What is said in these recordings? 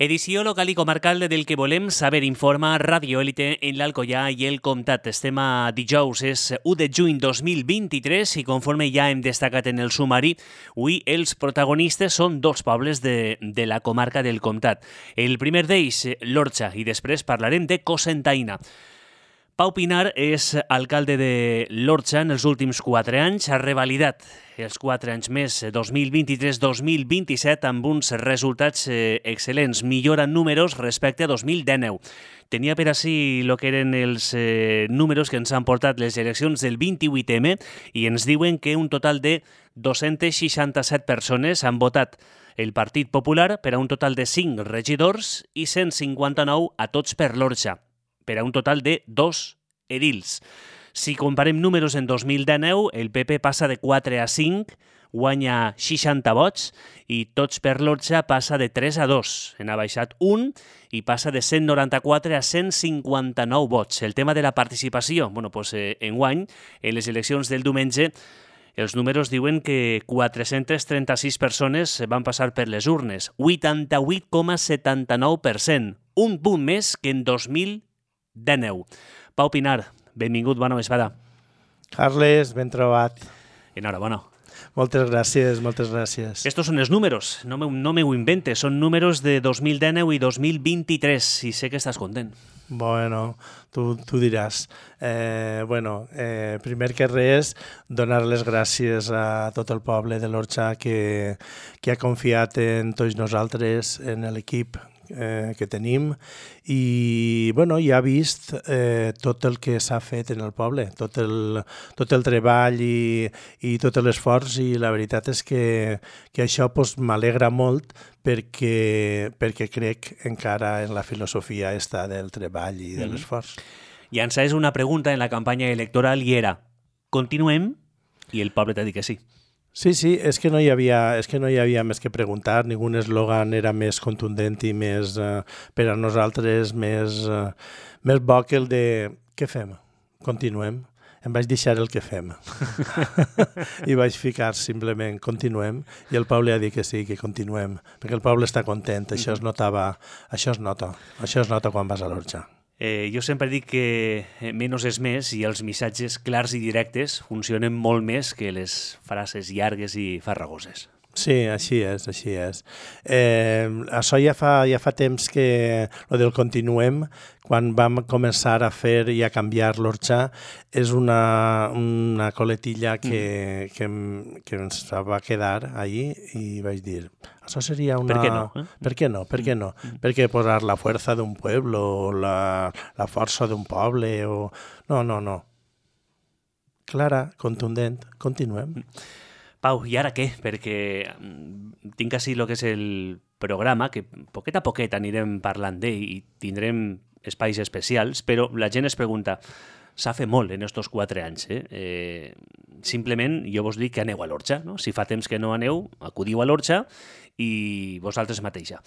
Edició local i comarcal del que volem saber, informa Radio Élite en l'Alcoià i el Comtat. Estem a dijous, és 1 de juny 2023 i conforme ja hem destacat en el sumari, avui els protagonistes són dos pobles de la comarca del Comtat. El primer d'ells, l'Orxa, i després parlarem de Cocentaina. Pau Pinar és alcalde de l'Orxa en els últims 4 anys, ha revalidat els 4 anys més, 2023-2027, amb uns resultats excel·lents, millora en números respecte a 2019. Tenia per així el que eren els números que ens han portat les eleccions del 28M i ens diuen que un total de 267 persones han votat el Partit Popular per a un total de 5 regidors i 159 a tots per l'Orxa, per a un total de 2 edils. Si comparem números en 2019, el PP passa de 4 a 5, guanya 60 vots, i tots per l'Orxa passa de 3 a 2. En ha baixat 1 i passa de 194 a 159 vots. El tema de la participació, enguany, en les eleccions del diumenge, els números diuen que 436 persones van passar per les urnes, 88,79%, un punt més que en 2019. Pau Pinar, benvingut, bona vesprada. Carles, ben trobat. Enhorabona. Moltes gràcies, moltes gràcies. Estos són els números, no me ho inventes, són números de 2019 i 2023 i sé que estàs content. Bueno, tu diràs. Primer que res, donar les gràcies a tot el poble de l'Orxa que ha confiat en tots nosaltres, en l'equip que tenim i ja ha vist tot el que s'ha fet en el poble, tot el treball i tot l'esforç, i la veritat és que això m'alegra molt perquè crec encara en la filosofia esta del treball i de l'esforç. Llançaves una pregunta en la campanya electoral i era: continuem? I el poble t'ha dit que sí. Sí, és que no hi havia més que preguntar, ningú eslògan era més contundent i més, per a nosaltres, més bo que el de què fem? Continuem. Em vaig deixar el que fem. I vaig ficar simplement continuem, i el poble ha dit que sí, que continuem, perquè el poble està content, això es nota quan vas a l'Orxa. Jo sempre dic que menys és més i els missatges clars i directes funcionen molt més que les frases llargues i farragoses. Sí, així és. Això ja fa temps que lo del continuem, quan vam començar a fer i a canviar l'Orxa, és una coletilla que ens va quedar allí i vaig dir, això seria una... Per què no? Per què no? Perquè posar la força d'un poble o la força d'un poble o... No. Clara, contundent, continuem. Pau, i ara què? Perquè tinc així el que és el programa, que poquet a poquet anirem parlant d'ell i tindrem espais especials, però la gent es pregunta, s'ha fet molt en estos 4 anys. Simplement, jo vos dic que aneu a l'Orxa, no? Si fa temps que no aneu, acudiu a l'Orxa i vosaltres mateixa.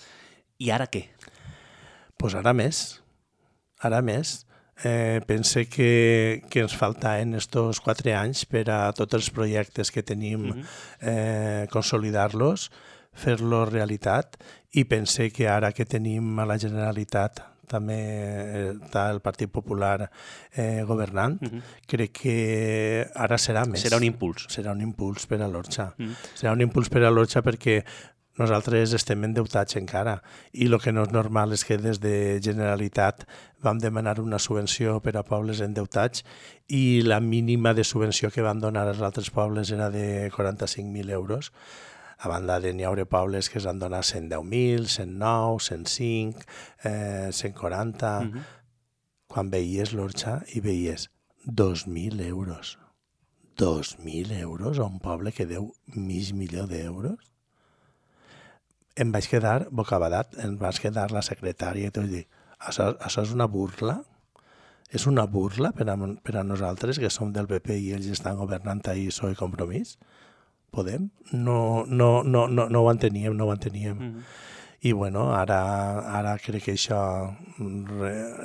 I ara què? Pues ara més. Pense que ens faltaven estos 4 anys per a tots els projectes que tenim, consolidar-los, fer-los realitat, i pense que ara que tenim a la Generalitat també està el Partit Popular governant, crec que ara serà més. Serà un impuls. Serà un impuls per a l'Orxa. Serà un impuls per a l'Orxa perquè nosaltres estem endeutats encara, i el que no és normal és que des de Generalitat vam demanar una subvenció per a pobles endeutats i la mínima de subvenció que van donar als altres pobles era de 45.000 euros. A banda de n'hi haurà pobles que s'han donat 110.000, 109, 105, 140... Quan veies l'Orxa i veies 2.000 euros. 2.000 euros a un poble que deu $500.000 d'euros? Em vaig quedar bocabadat, em vaig quedar la secretària i tot, i dic, això és una burla? És una burla per a nosaltres, que som del PP i ells estan governant ahí PSOE i Compromís? Podem? No ho enteníem. I ara crec que això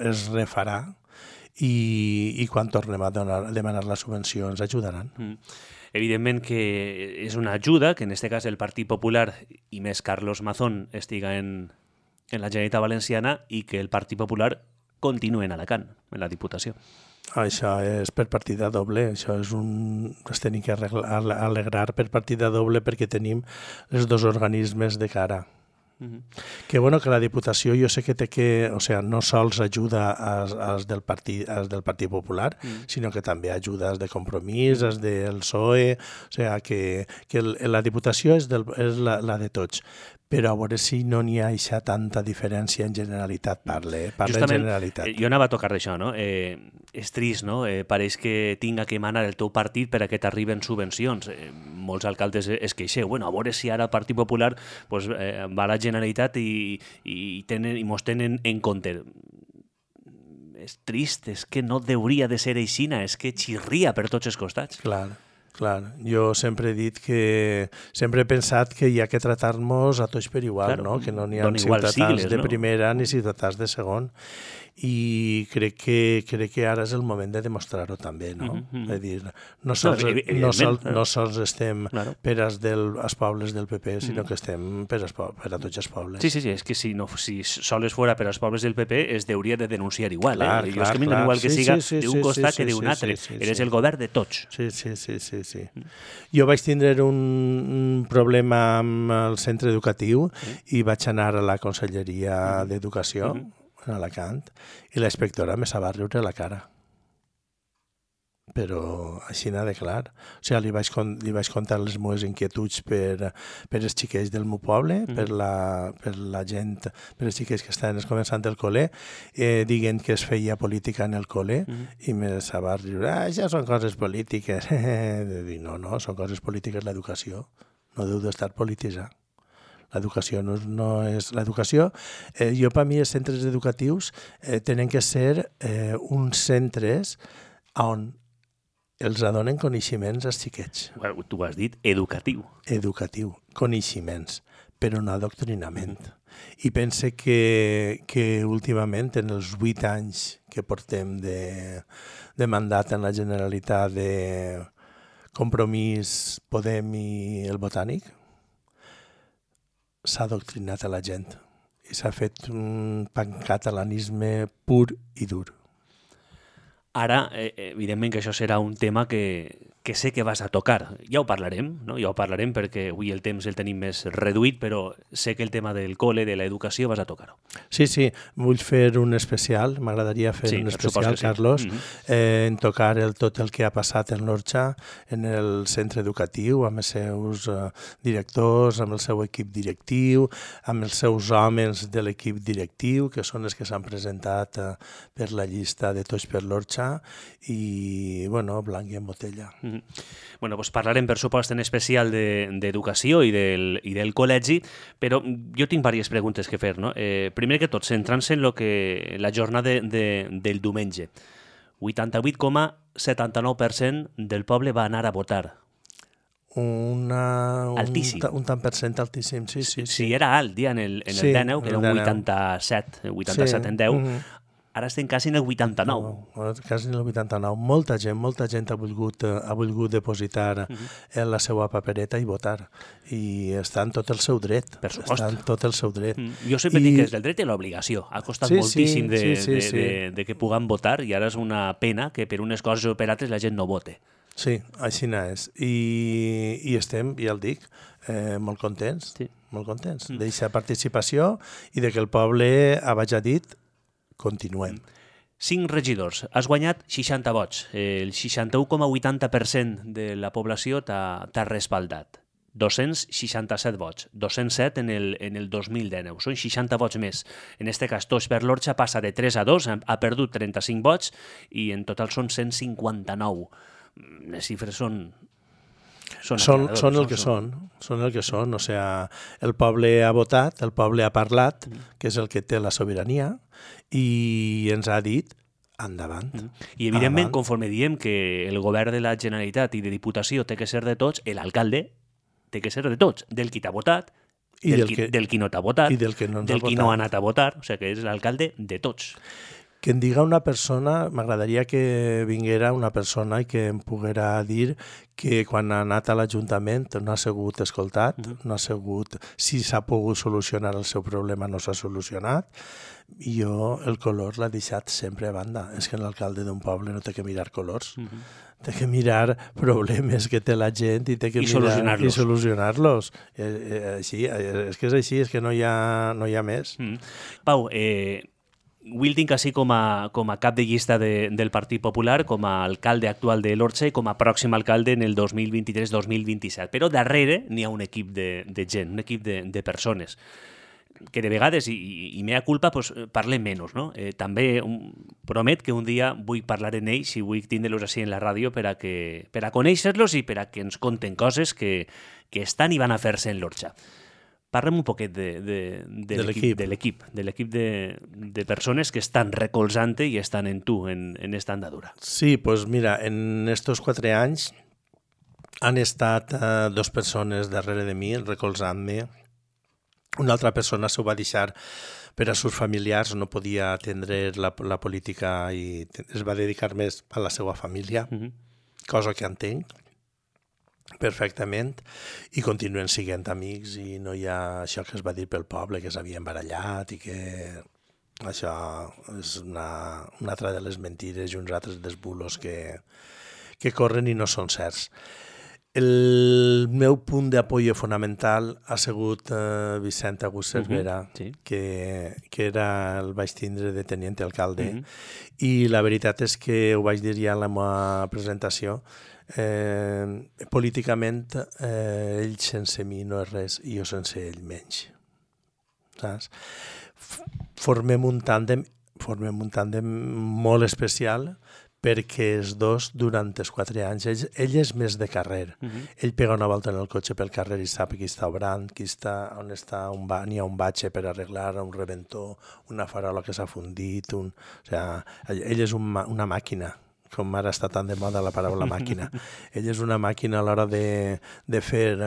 es refarà i quan tornem a demanar la subvenció ens ajudaran. Evidentment que és una ajuda, que en aquest cas el Partit Popular i més Carlos Mazón estiga en en la Generalitat Valenciana i que el Partit Popular continua en Alacant, en la Diputació. Això és per partida doble, això és es tenim que alegrar per partida doble perquè tenim els dos organismes de cara. Que bueno, que la Diputació jo sé que té que, o sea, no sols ajuda als del Partit Popular, sinó que també ajuda als de Compromís, als del PSOE, o sea, que la Diputació és la de tots. Però a veure si no n'hi ha eixa tanta diferència en Generalitat, parla en Generalitat. Jo anava a tocar d'això, no? És trist, no? Pareix que tinga que manar el teu partit per a que t'arriben subvencions. Molts alcaldes es queixeu, bueno, a veure si ara el Partit Popular pues, va a la Generalitat i mos tenen en compte. És trist, és que no hauria de ser aixina, és que xirria per tots els costats. Clar. Jo sempre he dit sempre he pensat que hi ha que tratar-nos a tots per igual, claro, no? Que no n'hi ha ciutadans de primera ni ciutadans de segon. I crec que ara és el moment de demostrar-ho també, no? És dir, no sols estem per als pobles del PP, sinó que estem per a tots els pobles. Sí, és que si sols fora per als pobles del PP es hauria de denunciar igual. Jo és que m'hi igual que siga d'un costat que d'un altre. Eres el govern de tots. Sí. Jo vaig tindre un problema amb el centre educatiu i vaig anar a la Conselleria d'Educació en Alacant, i la inspectora me se va riure la cara. Però així n'ha de clar. O sigui, li vaig contar les meves inquietuds per els xiquets del meu poble, per la gent, per els xiquets que estaven començant el col·le, dient que es feia política en el col·le, i me se va riure, això són coses polítiques. No, són coses polítiques l'educació. No deu d'estar polititzat. L'educació no és... L'educació, jo per mi els centres educatius tenen que ser uns centres on els donen coneixements als xiquets. Tu has dit educatiu. Educatiu, coneixements, però no adoctrinament. I pense que últimament, en els 8 anys que portem de mandat en la Generalitat de Compromís, Podem i el Botànic, s'ha adoctrinat a la gent i s'ha fet un pancatalanisme pur i dur. Ara, evidentment que això serà un tema que sé que vas a tocar. Ja ho parlarem, no? Ja ho parlarem perquè avui el temps el tenim més reduït, però sé que el tema del col·le, de l'educació, vas a tocar-ho. Sí, vull fer un especial, m'agradaria fer un especial, Carlos, en tocar tot el que ha passat en l'Orxa, en el centre educatiu, amb els seus directors, amb el seu equip directiu, amb els seus homes de l'equip directiu, que són els que s'han presentat per la llista de Tots per l'Orxa, i, bueno, blanc i en botella. Bueno, doncs parlarem, per supost, en especial d'educació i del col·legi, però jo tinc diverses preguntes que fer, no? Primer que tot, centrant-se en la jornada del diumenge. 88,79% del poble va anar a votar. Altíssim. Un tant per cent altíssim, sí. Si era alt, dia en el 19, que era un 87 en 10, ara estem quasi en el 89. Quasi en el 89. Molta gent ha volgut depositar en la seva papereta i votar. I està en tot el seu dret. Per supost. Està en tot el seu dret. Jo sempre dic que és del dret i l'obligació. Ha costat moltíssim de que puguem votar i ara és una pena que per unes coses o per altres la gent no vote. Sí, així és. I estem, ja el dic, molt contents. Molt contents d'aquesta participació i de que el poble ha dit continuem. 5 regidors. Has guanyat 60 vots. El 61,80% de la població t'ha respaldat. 267 vots. 207 en el 2019. Són 60 vots més. En aquest cas, Tots per l'Orxa passa de 3 a 2, ha perdut 35 vots i en total són 159. Les xifres són el que són. O sea, el poble ha votat, el poble ha parlat, que és el que té la sobirania, i ens ha dit endavant. I evidentment, conforme diem que el govern de la Generalitat i de Diputació té que ser de tots, l'alcalde té que ser de tots, del qui t'ha votat, del qui no t'ha votat, i del qui no ha anat a votar, o sigui que és l'alcalde de tots. Que em diga una persona, m'agradaria que vinguera una persona i que em poguera dir que quan ha anat a l'Ajuntament no ha sigut escoltat, no ha sigut, si s'ha pogut solucionar el seu problema no s'ha solucionat, i jo el color l'ha deixat sempre a banda. És que l'alcalde d'un poble no té que mirar colors, té que mirar problemes que té la gent i té que mirar i solucionar-los. Així, és que és així, és que no hi ha més. Pau, avui el tinc així com a cap de llista del Partit Popular, com a alcalde actual de l'Orxa i com a pròxim alcalde en el 2023-2027. Però darrere n'hi ha un equip de gent, un equip de persones que de vegades, i mea culpa, pues, parlem menys, no? També promet que un dia vull parlar en ells i vull tindre-los així en la ràdio per a conèixer-los i per a que ens conten coses que estan i van a fer-se en l'Orxa. Parlem un poquet de l'equip de persones que estan recolzant i estan en tu, en esta andadura. Sí, pues mira, en estos 4 anys han estat 2 persones darrere de mi, recolzant-me. Una altra persona s'ho va deixar per a sus familiars, no podia atendre la política i es va dedicar més a la seva família, cosa que entenc perfectament, i continuen sent amics i no hi ha això que es va dir pel poble, que s'havien barallat i que això és una altra de les mentires i uns altres dels bulos que corren i no són certs. El meu punt d'apoyo fonamental ha sigut Vicent August Cervera, que era el vaig tindre de teniente alcalde, i la veritat és que ho vaig dir ja en la meva presentació, políticament ell sense mi no és res i jo sense ell menys. Saps? Formem un tàndem molt especial perquè els dos, durant els 4 anys, ell és més de carrer. Ell pega una volta en el cotxe pel carrer i sap qui està obrant, on està, n'hi ha un batxe per arreglar, un reventó, una farola que s'ha fundit. Ell és una màquina, com ara està tan de moda la paraula màquina. Ell és una màquina a l'hora de fer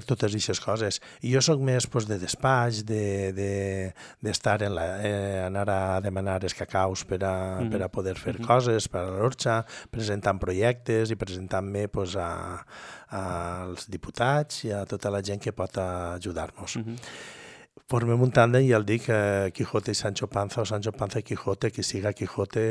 totes aquestes coses. I jo sóc més de despatx, d'estar anar a demanar els cacaus per a poder fer coses per a l'Orxa, presentant projectes i presentant-me als diputats i a tota la gent que pot ajudar-nos. Formem un tàndem, ja el dic, Quijote i Sancho Panza, o Sancho Panza i Quijote, qui siga Quijote,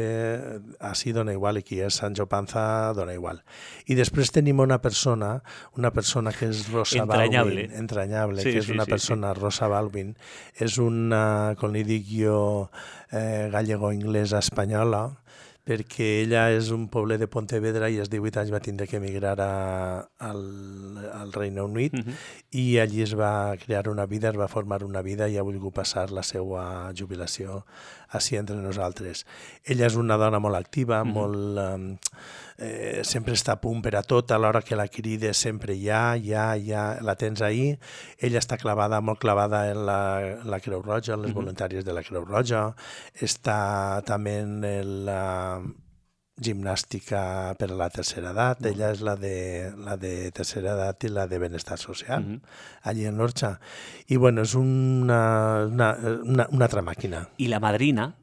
així dona igual, i qui és Sancho Panza dona igual. I després tenim una persona que és Rosa Balvin, entranyable, que és una persona, Rosa Balvin, és una, com li dic jo, gallego-inglesa espanyola, perquè ella és un poble de Pontevedra i als 18 anys va tindre que emigrar al Regne Unit i allí es va crear una vida, es va formar una vida i ha volgut passar la seva jubilació així entre nosaltres. Ella és una dona molt activa, sempre està a punt per a tot, a l'hora que la crides sempre ja, la tens ahí. Ella està molt clavada en la Creu Roja, en les voluntàries de la Creu Roja, està també en la gimnàstica per a la tercera edat, ella és la de tercera edat i la de benestar social, allí en l'Orxa. I bueno, és una altra màquina. I la madrina,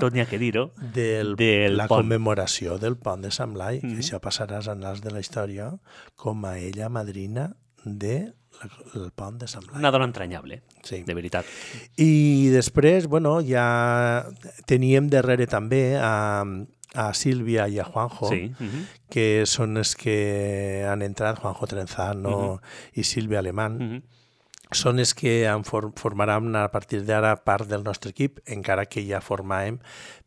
tot n'hi ha que dir-ho, de la commemoració del pont de Sant Blai, que això passarà als annals de la història com a ella madrina del pont de Sant Blai. Una dona entranyable, de veritat. I després, bueno, ja teníem darrere també a Sílvia i a Juanjo, que són els que han entrat, Juanjo Trenzano i Sílvia Alemán, són els que formaran a partir d'ara part del nostre equip, encara que ja formàvem,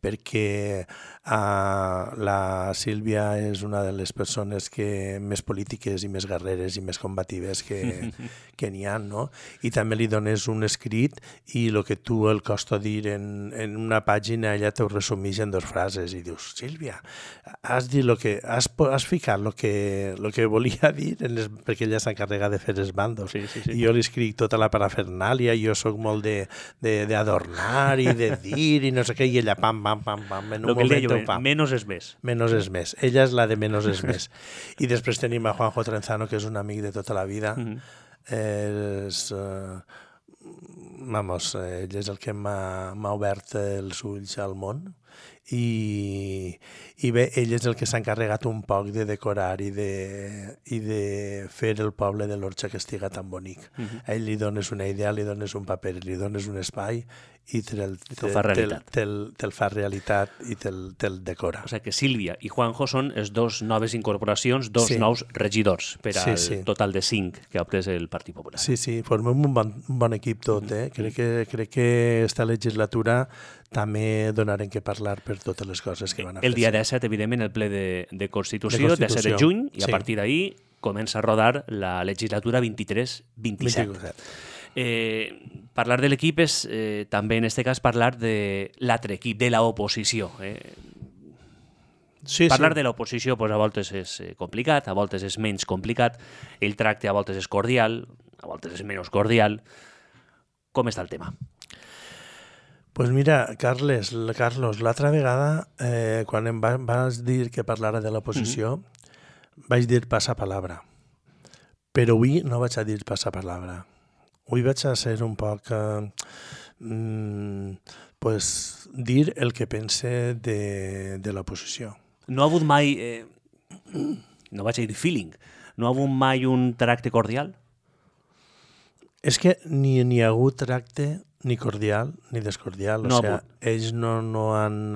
perquè la Sílvia és una de les persones més polítiques i més guerreres i més combatives que n'hi ha, no? I també li dones un escrit i el que tu el costa dir en una pàgina, ella t'ho resumeix en 2 frases i dius, Sílvia, has ficat el que volia dir, perquè ella s'encarrega de fer els bandos. I jo li escric tota la parafernàlia, jo sóc molt d'adornar i de dir i no sé què, i ella pam, en un moment ho fa. Menos és més. Menos és més. Ella és la de menos és més. I després tenim a Juanjo Trenzano, que és un amic de tota la vida. És ell és el que m'ha obert els ulls al món i bé, ell és el que s'ha encarregat un poc de decorar i de fer el poble de l'Orxa que estiga tan bonic. A ell li dones una idea, li dones un paper, li dones un espai i te'l fa realitat i te'l decora. O sigui que Sílvia i Juanjo són les dues noves incorporacions, nous regidors per al total de 5 que ha obtès el Partit Popular. Sí, formem un bon equip tot. Crec que esta legislatura també donarem que parlar per totes les coses que van a fer. El dia 17, evidentment, el ple de Constitució, 17 de juny, i a partir d'ahir comença a rodar la legislatura 23-27. Parlar de l'equip és també, en aquest cas, parlar de l'altre equip, de l'oposició. Parlar de l'oposició a voltes és complicat, a voltes és menys complicat, el tracte a voltes és cordial, a voltes és menys cordial. Com està el tema? Pues mira, Carlos, l'altra vegada, quan em vas dir que parlara de l'oposició, vaig dir passapalabra. Però avui no vaig a dir passapalabra. Avui vaig a ser un poc... dir el que pense de l'oposició. No ha hagut mai... no vaig a dir feeling. No ha hagut mai un tracte cordial? És que ni hi ha hagut tracte ni cordial ni descordial. Ells no han...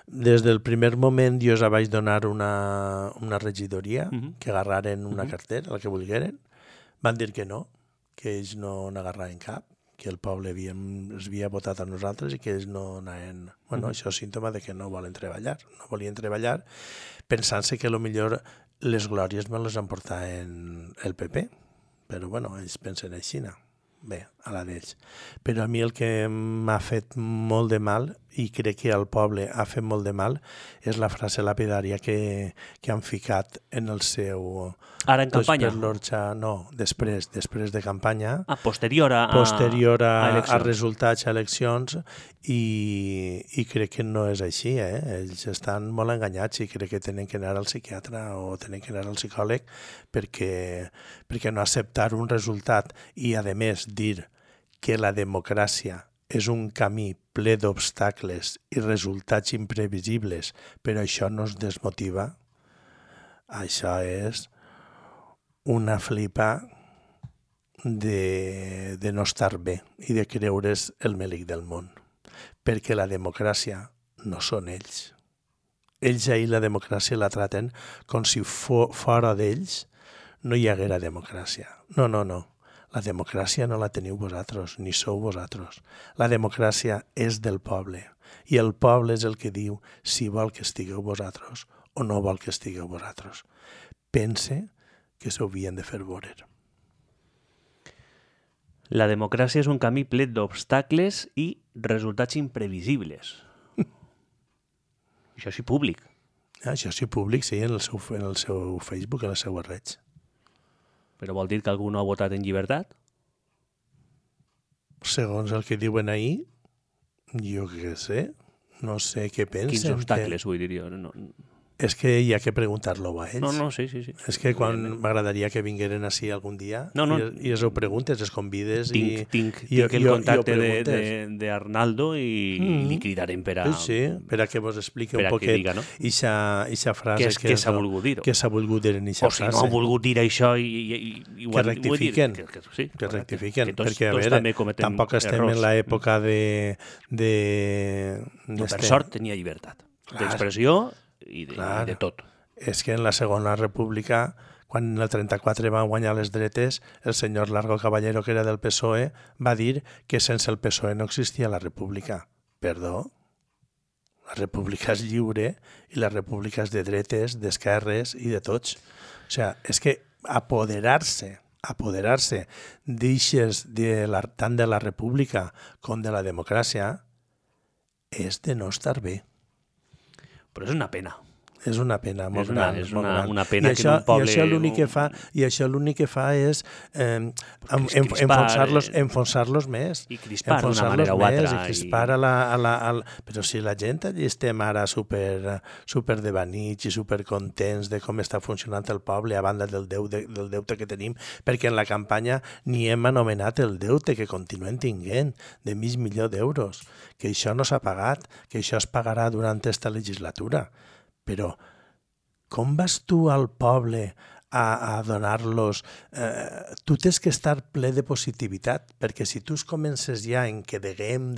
Des del primer moment jo els vaig donar una regidoria que agarraren una cartera, la que volgueren. Van dir que no, que ells no n'agarraven cap, que el poble els havia votat a nosaltres i que ells no anaven... Això és símptoma de que no volen treballar. No volien treballar pensant-se que potser les glòries me les emportaven el PP. Però ells pensen així, no? Bé, a la d'ells. Però a mi el que m'ha fet molt de mal, i crec que al poble ha fet molt de mal, és la frase lapidària que han ficat en el seu... Ara en campanya? Per l'Orxa, no, després de campanya. Posterior a resultats, a eleccions, i crec que no és així, Ells estan molt enganyats i crec que tenen que anar al psiquiatre o tenen que anar al psicòleg perquè no acceptar un resultat i, a més, dir que la democràcia és un camí ple d'obstacles i resultats imprevisibles, però això no es desmotiva, això és una flipa de no estar bé i de creure's el melic del món, perquè la democràcia no són ells. Ells ahir la democràcia la traten com si fora d'ells no hi haguera democràcia. No. La democràcia no la teniu vosaltres, ni sou vosaltres. La democràcia és del poble, i el poble és el que diu si vol que estigueu vosaltres o no vol que estigueu vosaltres. Pense que s'ho havien de fer veure. La democràcia és un camí ple d'obstacles i resultats imprevisibles. Això sí públic. Això sí públic, sí, en el seu Facebook, en les seues redes. Però vol dir que algú no ha votat en llibertat? Segons el que diuen ahir, jo què sé, no sé què pensen. Quins obstacles, vull dir jo. No. És que hi ha que preguntar-lo a ells. No, sí. És que quan m'agradaria que vingueren així algun dia i els ho preguntes, els convides tinc el contacte d'Arnaldo i li cridarem per a... Sí, per a que vos expliqui un poquet ixa frase que s'ha volgut dir. Que s'ha volgut dir en ixa frase. O si no han volgut dir això que rectifiquen. Que rectifiquen, perquè a veure, tampoc estem en l'època de... Per sort tenia llibertat d'expressió i de tot. És que en la Segona República, quan en el 34 van guanyar les dretes, el senyor Largo Caballero, que era del PSOE, va dir que sense el PSOE no existia la república. Perdó? La república és lliure i la república és de dretes, d'esquerres i de tots. O sigui, és que apoderar-se d'eixes tant de la república com de la democràcia és de no estar bé. Però és una pena. És una pena molt gran. És una pena que en un poble... I això l'únic que fa és enfonsar-los més. I crispar d'una manera o altra. I crispar Però si la gent allí estem ara super devanits i supercontents de com està funcionant el poble a banda del deute que tenim, perquè en la campanya ni hem anomenat el deute que continuem tinguent de $500,000, que això no s'ha pagat, que això es pagarà durant aquesta legislatura. Però com vas tu al poble a donar-los... tu tens que estar ple de positivitat, perquè si tu comences ja en que deguem,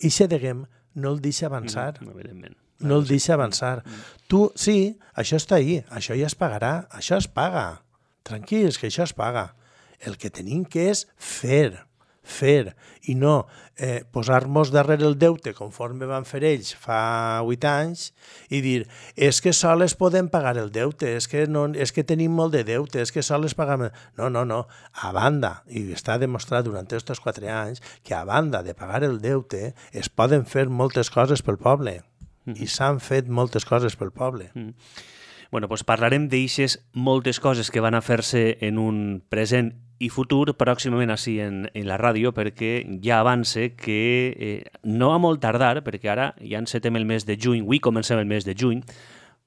ixe deguem no el deixa avançar. No el deixa avançar. Tu, sí, això està ahí, això ja es pagarà, això es paga. Tranquils, que això es paga. El que tenim que és fer, i no posar-nos darrere el deute conforme van fer ells fa 8 anys i dir, és que sols podem pagar el deute, és que tenim molt de deute, és que sols pagam... No. A banda, i està demostrat durant aquests 4 anys, que a banda de pagar el deute es poden fer moltes coses pel poble. I s'han fet moltes coses pel poble. Bueno, doncs parlarem d'eixes moltes coses que van a fer-se en un present i futur pròximament així en la ràdio, perquè ja avance que no va molt tardar, perquè ara ja encetem el mes de juny, avui comencem el mes de juny,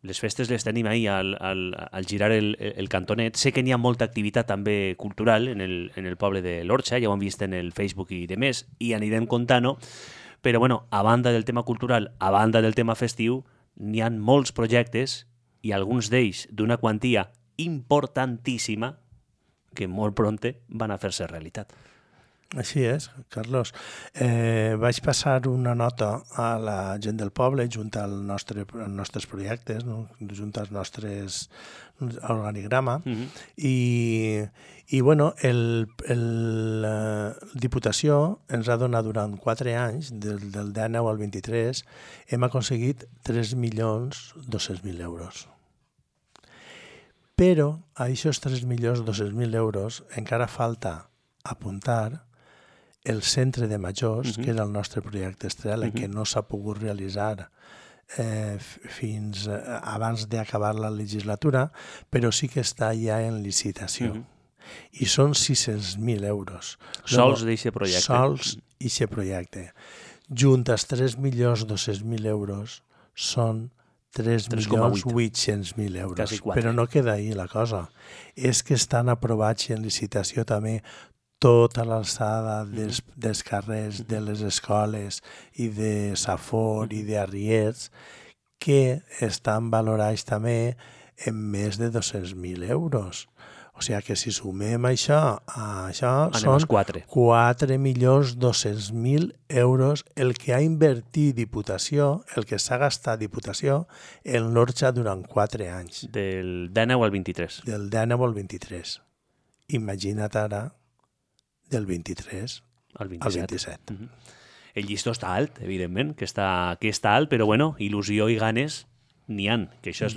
les festes les tenim ahir al girar el cantonet. Sé que n'hi ha molta activitat també cultural en el poble de l'Orxa, ja ho hem vist en el Facebook i demés, i anirem contant-ho, però bueno, a banda del tema cultural, a banda del tema festiu, n'hi ha molts projectes i alguns d'ells d'una quantia importantíssima que molt prompte van a fer-se realitat. Així és, Carlos. Vaig passar una nota a la gent del poble junt als nostres projectes, no? Junt als nostres organigrama, i bueno, la Diputació ens ha donat durant 4 anys, del 19 al 23, hem aconseguit 3.200.000 euros. Però a aquests 3.200.000 euros encara falta apuntar el centre de majors, que era el nostre projecte estrella, que no s'ha pogut realitzar fins abans d'acabar la legislatura, però sí que està ja en licitació. I són 600.000 euros. Sols d'aquest projecte. Sols d'aquest projecte. Junt als 3.200.000 euros són 3.800.000 euros. Però no queda ahí la cosa. És que estan aprovats en licitació també tota l'alçada dels carrers, de les escoles i de Safor i d'Arriers, que estan valorats també en més de 200.000 euros. O sigui que si sumem això són 4.200.000 euros el que ha invertit Diputació, el que s'ha gastat Diputació en l'Orxa durant 4 anys. Del 19 al 23. Del 19 al 23. Imagina't ara del 23 al 27. El llistó està alt, evidentment, que està alt, però bueno, il·lusió i ganes n'hi han, que això és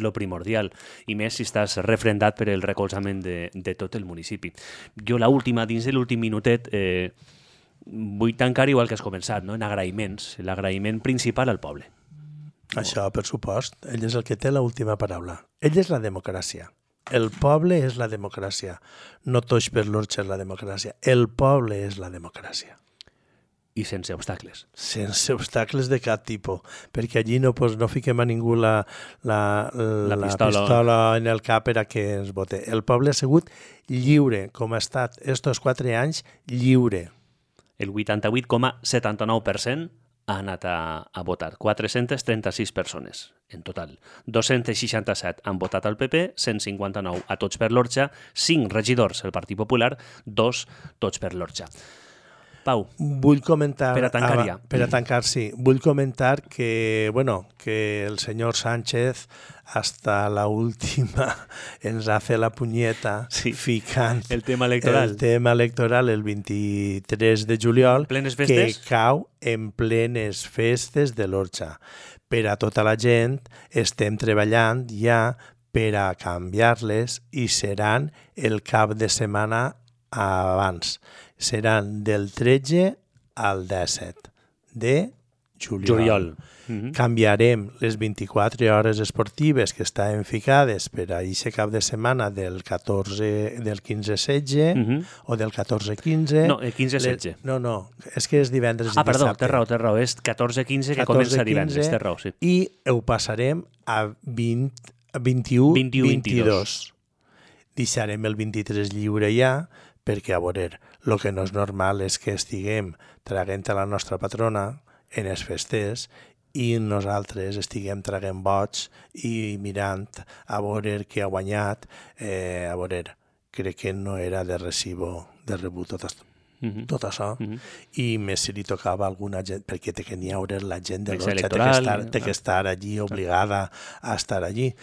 lo primordial, i més si estàs refrendat per el recolzament de tot el municipi. Jo dins de l'últim minutet vull tancar igual que has començat, no? En agraïments, l'agraïment principal al poble. Això, per supost, ell és el que té l'última paraula. Ell és la democràcia. El poble és la democràcia. No tots per l'Orxa és la democràcia. El poble és la democràcia. I sense obstacles. Sense obstacles de cap tipus, perquè allí no fiquem a ningú la pistola en el cap per a que ens vote. El poble ha sigut lliure, com ha estat estos 4 anys, lliure. El 88,79% ha anat a votar. 436 persones en total. 267 han votat al PP, 159 a Tots per l'Orxa, 5 regidors al Partit Popular, 2 Tots per l'Orxa. Pau, vull comentar, per a tancar ja. Per a tancar, sí. Vull comentar que, que el senyor Sánchez hasta la última ens ha fet la punyeta ficant el tema electoral el 23 de juliol, que cau en plenes festes de l'Orxa. Per a tota la gent estem treballant ja per a canviar-les i seran el cap de setmana abans. Seran del 13 al 17 de juliol. Canviarem les 24 hores esportives que estaven ficades per a aquest cap de setmana del 15-16 o del 14-15. No, el 15-16. No, és que és divendres i perdó, dissabte. té raó, és 14-15 que comença divendres, té raó, sí. I ho passarem a 21-22. Deixarem el 23 lliure ja, perquè, a veure, el que no és normal és que estiguem traguent a la nostra patrona en les festes i nosaltres estiguem traguent boig i mirant a veure què ha guanyat. A veure, crec que no era de recibo, de rebut tot això. I més si li tocava a alguna gent, perquè té que n'hi haure la gent de l'Orxa, té que estar allí obligada a estar allí.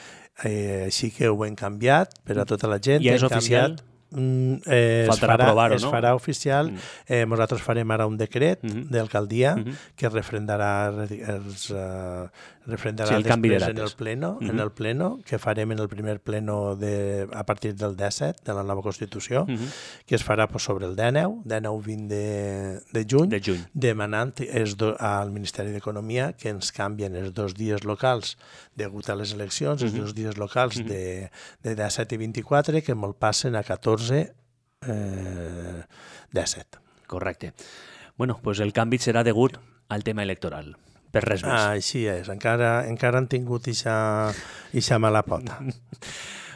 Així que ho hem canviat per a tota la gent. I és oficial? Faltarà aprovar-ho, no? Es farà oficial. Nosaltres farem ara un decret d'alcaldia que refrendarà després en el pleno, que farem en el primer pleno a partir del 17 de la nova Constitució, que es farà sobre el 19-20 de juny, demanant al Ministeri d'Economia que ens canvien els 2 dies locals degut a les eleccions, els 2 dies locals de 17 i 24, que me'l passen a 14-17. Correcte. Bueno, doncs el canvi serà degut al tema electoral, per res més. Així és, encara han tingut ixa mala pota.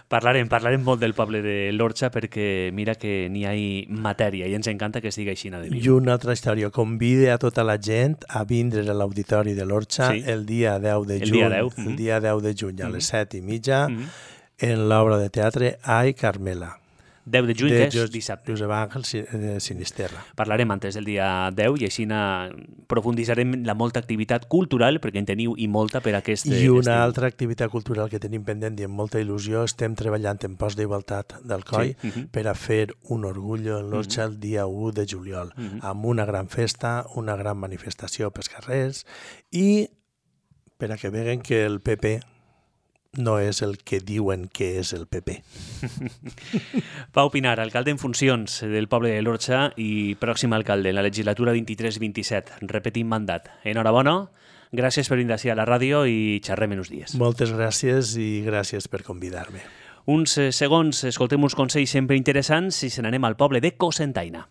Parlarem molt del poble de l'Orxa perquè mira que n'hi ha matèria i ens encanta que estigui així. I una altra història, convide a tota la gent a vindre a l'auditori de l'Orxa el dia 10 de juny, el dia 10 de juny a les 7:30 en l'obra de teatre Ai, Carmela. 10 de juny, que és dissabte. Josep Àngel Sinisterra. Parlarem antes del dia 10 i així profunditzarem la molta activitat cultural, perquè en teniu i molta per aquest estiu. I una altra activitat cultural que tenim pendent i amb molta il·lusió, estem treballant en pos d'igualtat d'Alcoi per a fer un orgullo en l'Orxa el dia 1 de juliol, amb una gran festa, una gran manifestació pels carrers i per a que veguen que el PP no és el que diuen que és el PP. Pau Pinar, alcalde en funcions del poble de l'Orxa i pròxim alcalde en la legislatura 23-27. Repetim mandat. Enhorabona, gràcies per vindre a la ràdio i xerrem en uns dies. Moltes gràcies i gràcies per convidar-me. Uns segons, escoltem uns consells sempre interessants i se n'anem al poble de Cocentaina.